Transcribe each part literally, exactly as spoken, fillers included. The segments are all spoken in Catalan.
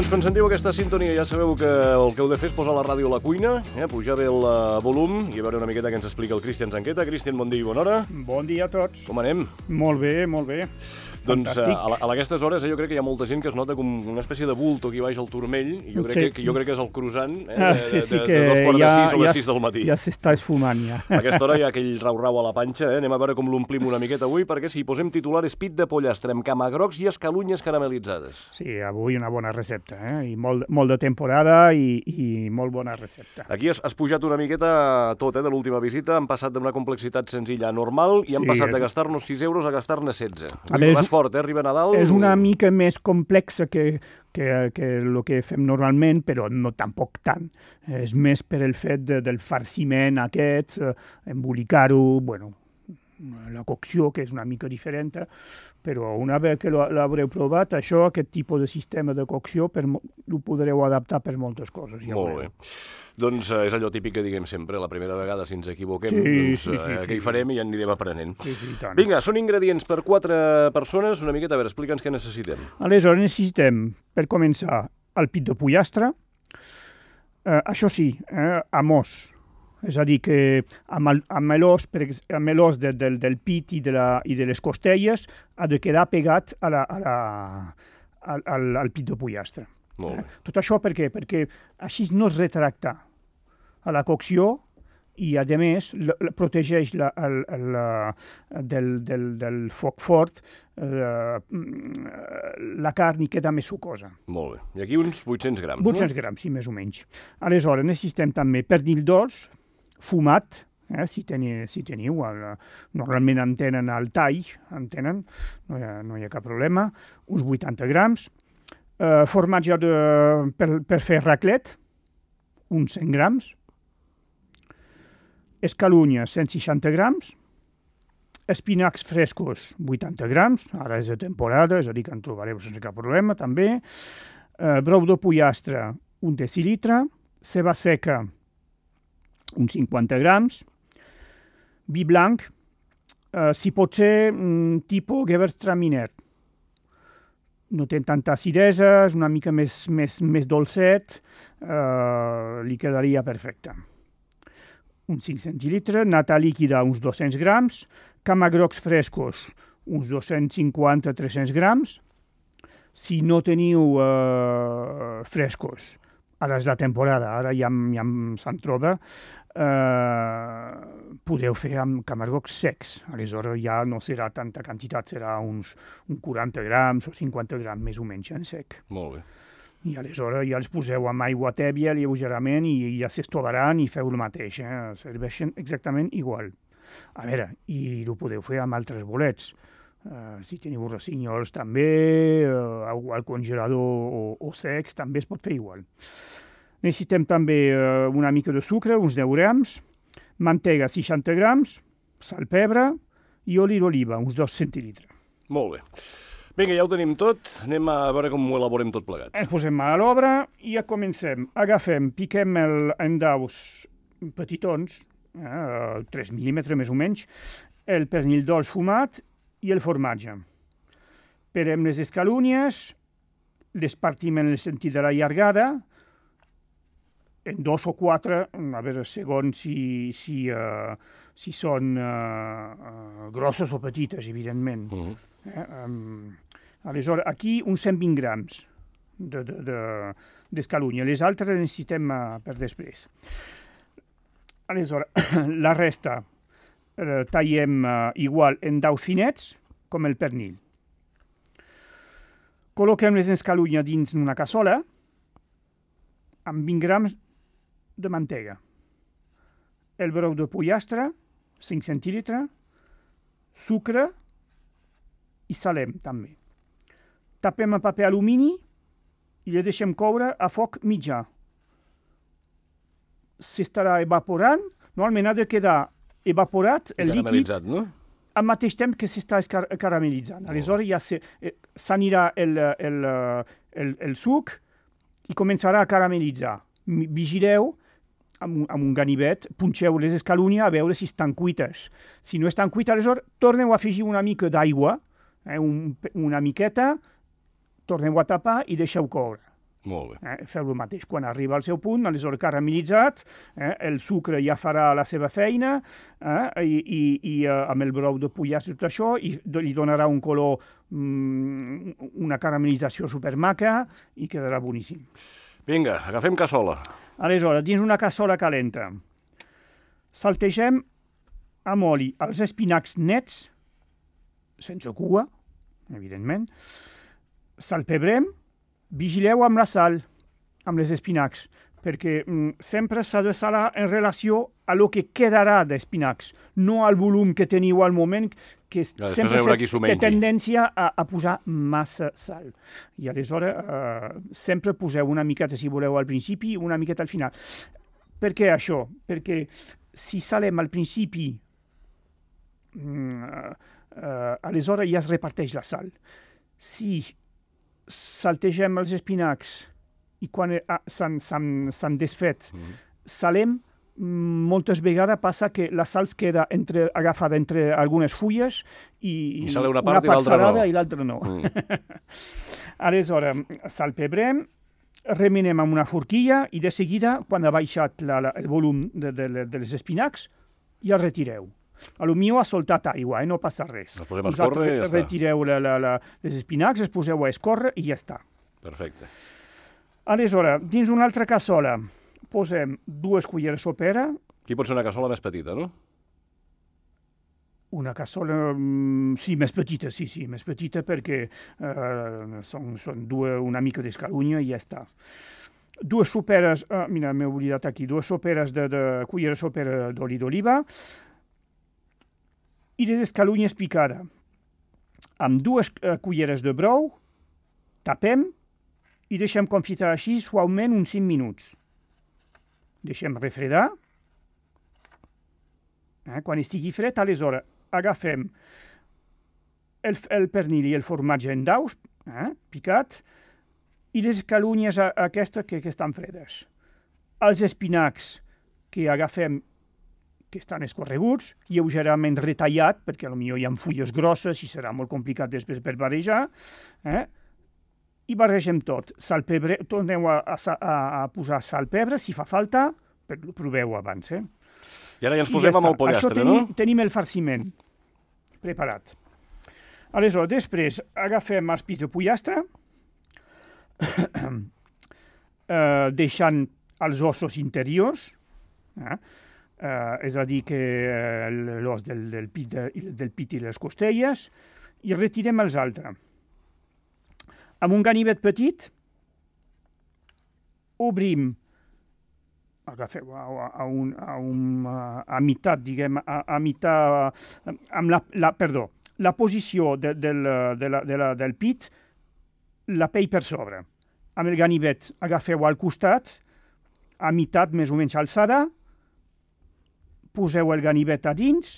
doncs quan sentiu aquesta sintonia ja sabeu que el que heu de fer és posar la ràdio a la cuina, eh, pujar bé el uh, volum i a veure una miqueta què ens explica el Cristian Zanqueta. Cristian, bon dia i bona hora. Bon dia a tots. Com anem? Molt bé, molt bé. Doncs a, a, a aquestes hores eh, jo crec que hi ha molta gent que es nota com una espècie de bulto aquí baix al turmell i jo crec, sí. que, que, jo crec que és el croissant eh, de, ah, sí, sí, de, de, de dos quarts de sis o les sis del matí. Ja s'està esfumant, ja. A aquesta hora hi ha aquell rau-rau a la panxa, eh? Anem a veure com l'omplim una miqueta avui, perquè si hi posem titular és pit de pollastre amb camagrocs i escalunyes caramelitzades. Sí, avui una bona recepta, eh? I molt, molt de temporada i, i molt bona recepta. Aquí has, has pujat una miqueta tot, eh, de l'última visita, han passat d'una complexitat senzilla a normal i han sí, passat és... de gastar-nos sis euros a gastar-ne setze. Vas fort, eh? Arriba Nadal... És una mica més complexa que, que, que el que fem normalment, però no tampoc tant. És més per el fet de, del farciment aquest, eh, embolicar-ho, bueno, la cocció, que és una mica diferent, però una vegada que l'haureu provat, això, aquest tipus de sistema de cocció, per, ho podreu adaptar per moltes coses. Ja Molt bé. Doncs eh, és allò típic que diguem sempre, la primera vegada si ens equivoquem, sí, doncs sí, sí, eh, sí, què hi farem i ja anirem aprenent. Sí, sí, Vinga, són ingredients per quatre persones, una miqueta, a veure, explica'ns què necessitem. Aleshores necessitem, per començar, el pit de pollastre, eh, això sí, eh, amb os. És a dir, que amb, el, amb l'os, amb l'os de, del, del pit i de, la, i de les costelles ha de quedar pegat a la, a la, al, al, al pit de pollastre. Molt bé. Eh? Tot això per què? Perquè així no es retracta a la cocció i, a més, la, la, protegeix la, el, el, del, del, del foc fort, eh, la carn i queda més sucosa. Molt bé. I aquí uns vuit-cents grams, vuit-cents no? grams, sí, més o menys. Aleshores, necessitem també pernil dolç, fumat, eh, si, teniu, si teniu, el, normalment en tenen al tall, en tenen, no hi ha, no hi ha cap problema, uns vuitanta grams, eh, formatge de, per, per fer raclet, uns cent grams, escalunya, cent seixanta grams, espinacs frescos, vuitanta grams, ara és de temporada, és a dir que en trobareu sense cap problema, també, eh, brou de pollastre, un decilitre, ceba seca, uns cinquanta grams, vi blanc, eh, si pot ser mm, tipus Gewürztraminer. No té tanta acidesa, és una mica més, més, més dolcet, eh, li quedaria perfecte. Uns cinc centilitres, nata líquida, uns dos-cents grams, camagrocs frescos, uns dos-cents cinquanta a tres-cents grams. Si no teniu eh, frescos, ara és la temporada, ara ja, ja se'n troba, eh, podeu fer amb camarocs secs. Aleshores ja no serà tanta quantitat, serà uns, uns quaranta grams o cinquanta grams més o menys en sec. Molt bé. I aleshores ja els poseu amb aigua tèbia lleugerament i ja s'estovaran i feu el mateix. Eh? Serveixen exactament igual. A veure, i ho podeu fer amb altres bolets. Uh, si teniu rossinyols també, uh, al congelador o, o secs, també es pot fer igual. Necessitem també uh, una mica de sucre, uns deu grams, mantega seixanta grams, sal, pebre i oli d'oliva, uns dos centilitres. Molt bé. Vinga, ja ho tenim tot, anem a veure com ho elaborem tot plegat. Ens posem a l'obra i ja comencem. Agafem, piquem el, en daus petitons, eh, tres mil·límetres més o menys, el pernil dolç fumat i el formatge. Perem les escalúnies, les partim en el sentit de la llargada, en dos o quatre, a veure, segons si, si, uh, si són uh, uh, grosses o petites, evidentment. Uh-huh. eh, um, aleshores, aquí uns cent vint grams d'escalúnia. De, de, les altres les necessitem uh, per després. Aleshores, la resta eh, tallem uh, igual en daus finets com el pernil. Col·loquem les escalunyes dins una cassola amb vint grams de mantega. El brou de pollastre, cinc centilitres, sucre i salem també. Tapem amb paper alumini i le deixem coure a foc mitjà. S'estarà evaporant, normalment ha de quedar evaporat el líquid, no? al mateix temps que s'està caramelitzant. Aleshores ja s'anirà el, el, el, el suc i començarà a caramellitzar. Vigileu amb un, amb un ganivet, punxeu les escalúnies a veure si estan cuites. Si no estan cuites, aleshores torneu a afegir una mica d'aigua, eh, un, una miqueta, torneu a tapar i deixeu coure. Molt bé. Eh, feu el mateix. Quan arriba al seu punt, aleshores caramelitzat, eh, el sucre ja farà la seva feina, eh, i, i, i eh, amb el brou de pollastre i tot això, i li donarà un color, mm, una caramelització supermaca, i quedarà boníssim. Vinga, agafem cassola. Aleshores, dins una cassola calenta, saltegem amb oli els espinacs nets, sense cua, evidentment, salpebrem, vigileu amb la sal, amb les espinacs, perquè mm, sempre s'ha de salar en relació a lo que quedarà d'espinacs, no al volum que teniu al moment, que Ja, sempre hi haurà qui se- s'ho té mengi. tendència a, a posar massa sal. I aleshores eh, sempre poseu una miqueta, si voleu, al principi i una miqueta al final. Per què això? Perquè si salem al principi, mm, eh, aleshores ja es reparteix la sal. Si saltegem els espinacs i quan eh, s'han- s'han s'han desfet, Mm. salem, mm, moltes vegades passa que la sal es queda entre, agafada entre algunes fulles i, I sale una part i l'altra salada no. i l'altra no. Mm. Aleshores, salpebrem, remenem amb una forquilla i de seguida, quan ha baixat la, la, el volum de, de, de les espinacs, ja el retireu. A lo millor ha soltat aigua, eh? No passa res. Els posem a escórrer i ja està. Retireu la, la, la, les espinacs, els poseu a escórrer i ja està. Perfecte. Aleshores, dins una altra cassola, posem dues culleres sopera, Aquí pot ser una cassola més petita, no? una cassola, mm, sí, més petita, sí, sí, més petita perquè eh, són, són dues, una mica d'escalunya i ja està. Dues soperes, eh, mira, m'he oblidat aquí, dues soperes de, de cullera sopera d'oli d'oliva i les escalunyes picades. Amb dues eh, culleres de brou, tapem i deixem confitar així suaument uns cinc minuts. Deixem refredar. Eh, quan estigui fred, aleshores agafem el, el pernil i el formatge en daus, eh, picat, i les calunyes a- aquestes que, que estan fredes. Els espinacs que agafem, que estan escorreguts, lleugerament retallat, perquè potser hi ha fulles grosses i serà molt complicat després per barrejar, eh, i barregem tot. Sal, pebre, torneu a, a, sa- a, a posar sal, pebre, si fa falta, però proveu abans, eh? I ara ja ens I posem ja amb el està. pollastre, Això tenim, no? tenim el farciment preparat. Aleshores, després agafem els pits de pollastre, eh, deixant els ossos interiors, eh? Eh, és a dir, que eh, l'os del, del, pit de, del pit i les costelles, i retirem els altres. Amb un ganivet petit, obrim, agafeu a, a, un, a, un, a meitat, diguem, a, a meitat, amb la, la, perdó, la posició de, del, de la, de la, del pit, la pell per sobre. Amb el ganivet agafeu al costat, a meitat més o menys alçada, poseu el ganivet a dins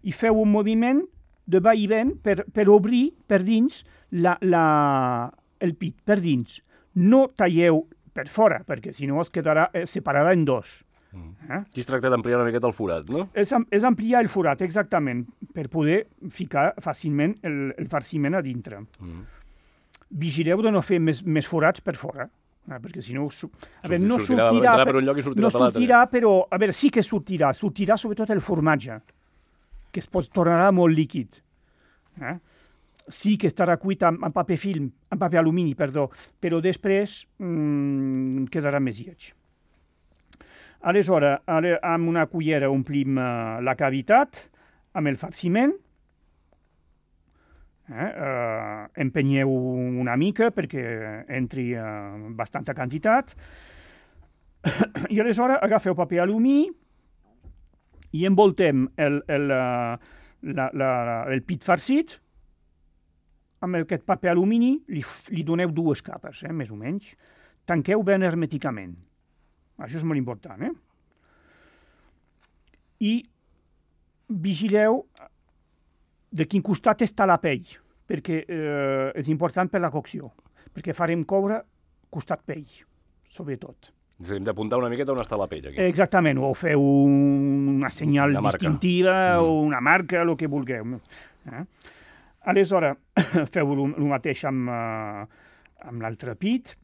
i feu un moviment de va i ven per, per obrir per dins la, la, el pit, per dins. No talleu per fora, perquè si no es quedarà eh, separada en dos. Eh? Aquí es tracta d'ampliar una miqueta el forat, no? És, am- és ampliar el forat, exactament, per poder ficar fàcilment el, el farciment a dintre. Mm. Vigileu de no fer més, més forats per fora, eh? perquè si no... Su... A veure, no sortirà, sortirà, entrarà per- per un lloc i sortirà no per l'altre. sortirà, però... A veure, sí que sortirà. Sortirà sobretot el formatge, que es pot, tornarà molt líquid. Eh? Sí que estarà cuit amb, amb paper film, amb paper alumini, perdó, però després mmm, quedarà més lleig. Aleshores, ale, amb una cullera omplim uh, la cavitat amb el farciment, eh? Uh, empenyeu una mica perquè entri uh, bastanta quantitat, i aleshores agafeu paper alumini i envoltem el, el, uh, la, la, el pit farcit amb aquest paper alumini, li, li doneu dues capes, eh, més o menys. Tanqueu ben hermèticament. Això és molt important, eh? I vigileu de quin costat està la pell, perquè eh, és important per la cocció, perquè farem coure costat pell, sobretot. Hem d'apuntar una miqueta on està la pell, aquí. Exactament, o feu una senyal Una marca. distintiva Mm. o una marca, el que vulgueu. Eh? Aleshores, feu el mateix amb, uh, amb l'altre pit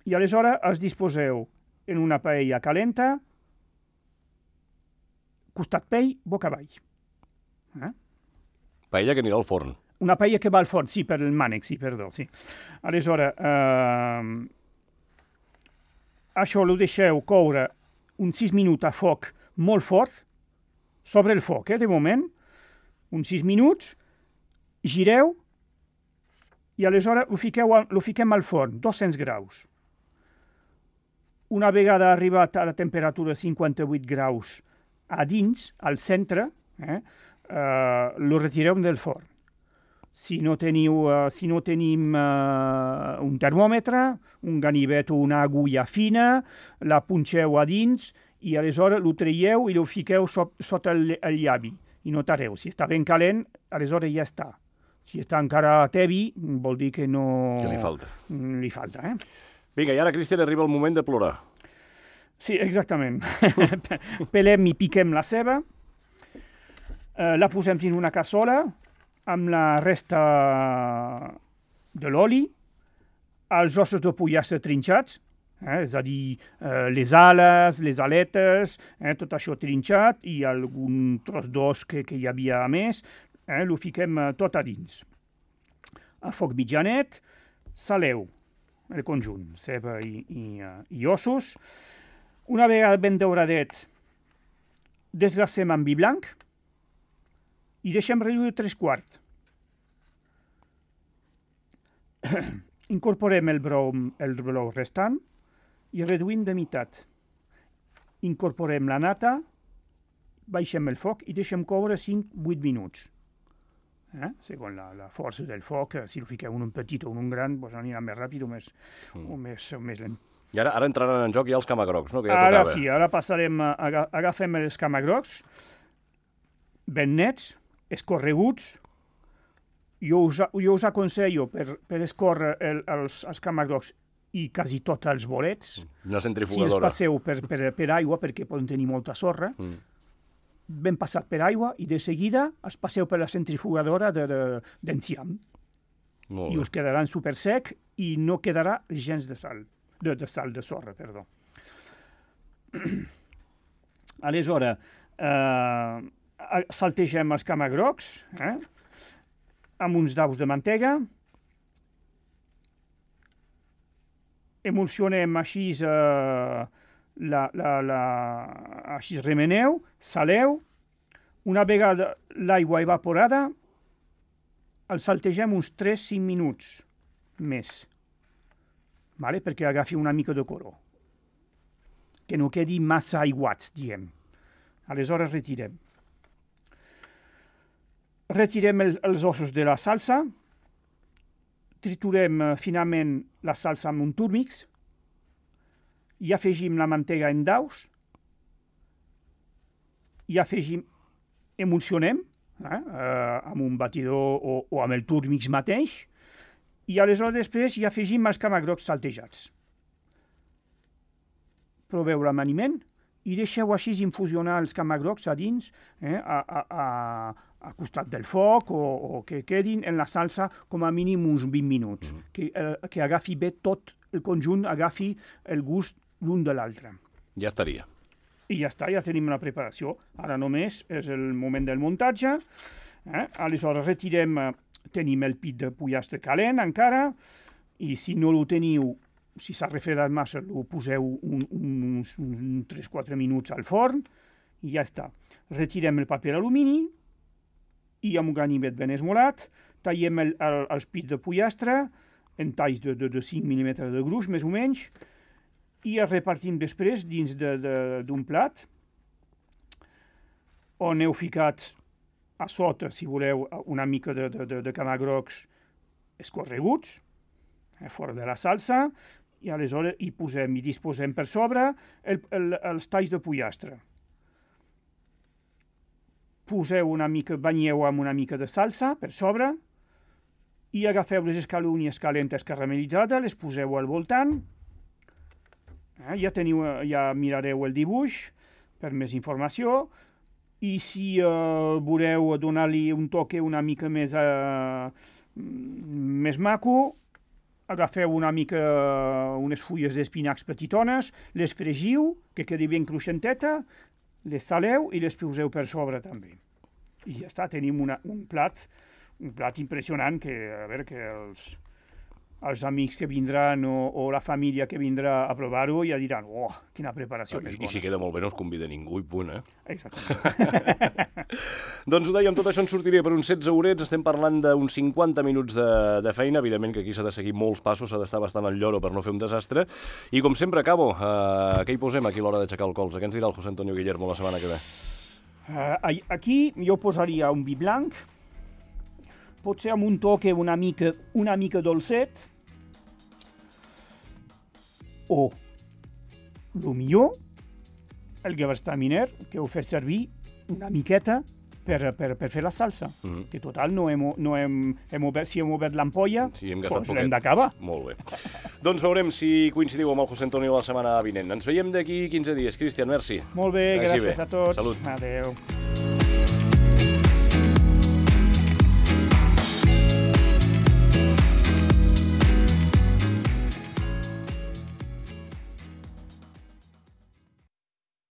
I aleshores es disposeu en una paella calenta, costat pell, boca avall. Eh? Paella que anirà al forn. Una paella que va al forn, sí, per el mànec, sí, perdó, sí. Aleshores, eh, això ho deixeu coure uns sis minuts a foc molt fort, sobre el foc, eh, de moment, uns sis minuts, gireu, i aleshores ho, fiqueu, ho fiquem al forn, dos-cents graus. Una vegada arribat a la temperatura cinquanta-vuit graus a dins, al centre, eh, eh, lo retireu del forn. Si no, teniu, uh, si no tenim uh, un termòmetre, un ganivet o una agulla fina, la punxeu a dins i aleshores lo traieu i lo fiqueu so, sota el, el llavi. I notareu, si està ben calent, aleshores ja està. Si està encara tebi, vol dir que no... Que li falta. Li falta, eh? Vinga, i ara, Cristian, arriba el moment de plorar. Sí, exactament. Pelem i piquem la ceba, uh, la posem dins una cassola, amb la resta de l'oli, els ossos de pollastre trinxats, eh, és a dir, eh, les ales, les aletes, eh, tot això trinxat, i algun tros d'os que, que hi havia a més, eh, ho fiquem eh, tot a dins. A foc mitjanet, saleu el conjunt, ceba i, i, uh, i ossos. Una vegada ben dauradet, desglacem amb vi blanc, i deixem reduir tres quarts. Incorporem el brou, el brou restant i reduïm de meitat. Incorporem la nata, baixem el foc i deixem coure cinc a vuit minuts. Eh? Segons la, la força del foc, si el fiqueu un petit o un gran, doncs anirà més ràpid o més, mm. o més, o més lent. I ara, ara entraran en joc ja els camagrocs, no? Que ja ara tocava. Sí, ara passarem, a, agafem els camagrocs, ben nets, escorreguts. Jo us, jo us aconsello per, per escórrer el, els, els camagrocs i quasi tots els bolets. Una Si els centrifugadora. passeu per, per, per aigua, perquè poden tenir molta sorra, Mm. ben passat per aigua i de seguida els passeu per la centrifugadora de, de, d'enciam. Molt I bé. us quedaran super sec i no quedarà gens de sal, de, de sal, de sorra, perdó. Aleshores, eh, saltegem els camagrocs, eh, amb uns daus de mantega, emulsionem així, eh, la, la, la, així remeneu, saleu, una vegada l'aigua evaporada, el saltegem uns tres a cinc minuts més, vale? Perquè agafi una mica de color, que no quedi massa aiguats, diem. Aleshores retirem. Retirem el, els ossos de la salsa, triturem uh, finament la salsa amb un túrmix, i afegim la mantega en daus, i afegim, emulsionem, eh, uh, amb un batidor o, o amb el túrmix mateix, i aleshores després hi afegim els camagrocs saltejats. Proveu l'amaniment i deixeu així infusionar els camagrocs a dins, eh, a, a, a, a costat del foc, o, o que quedin en la salsa com a mínim uns vint minuts, mm. que, eh, que agafi bé tot el conjunt, agafi el gust l'un de l'altre. Ja estaria. I ja està, ja tenim la preparació. Ara només és el moment del muntatge. Eh? Aleshores retirem, tenim el pit de pollastre calent encara, i si no el teniu, si s'ha refredat massa, ho poseu un, un, uns, uns tres a quatre minuts al forn, i ja està. Retirem el paper alumini, i amb un ganivet ben esmolat, tallem el, el, els pits de pollastre, en talls de, de, de cinc mil·límetres de gruix, més o menys, i els repartim després dins d'un de, de, plat, on heu ficat a sota, si voleu, una mica de, de, de, de camagrocs escorreguts, eh, fora de la salsa, i aleshores hi posem i disposem per sobre el, el, els talls de pollastre. Poseu una mica, banyeu amb una mica de salsa per sobre, i agafeu les escalúnies calentes caramelitzades, les poseu al voltant. Eh, ja teniu, ja mirareu el dibuix per més informació, i si eh, voleu donar-li un toque una mica més, eh, més maco, agafeu una mica unes fulles d'espinacs petitones, les fregiu, que quedi ben cruixenteta, les saleu i les poseu per sobre també. I ja està, tenim una, un plat, un plat impressionant que, a veure, que els, els amics que vindran o, o la família que vindrà a provar-ho ja diran, oh, quina preparació més bona. I si queda molt bé no es convida ningú i punt, eh? Exactament. Doncs ho dèiem, tot això ens sortiria per uns setze horets, estem parlant d'uns cinquanta minuts de, de feina, evidentment que aquí s'ha de seguir molts passos, s'ha d'estar bastant al lloro per no fer un desastre, i com sempre acabo, eh, què hi posem aquí a l'hora d'aixecar el colze? Què ens dirà el José Antonio Guillermo la setmana que ve? Uh, aquí jo posaria un vi blanc, potser amb un toque una mica, una mica dolcet, o, el millor, el gewürztraminer, que ho fes servir una miqueta per, per, per fer la salsa, mm -hmm. que total no hem, no hem, hem obert, si hem obert l'ampolla, sí, doncs l'hem d'acabar. Molt bé. Doncs veurem si coincidiu amb el José Antonio la setmana vinent. Ens veiem d'aquí quinze dies. Cristian, merci. Molt bé, gràcies bé. a tots. Salut. Adéu.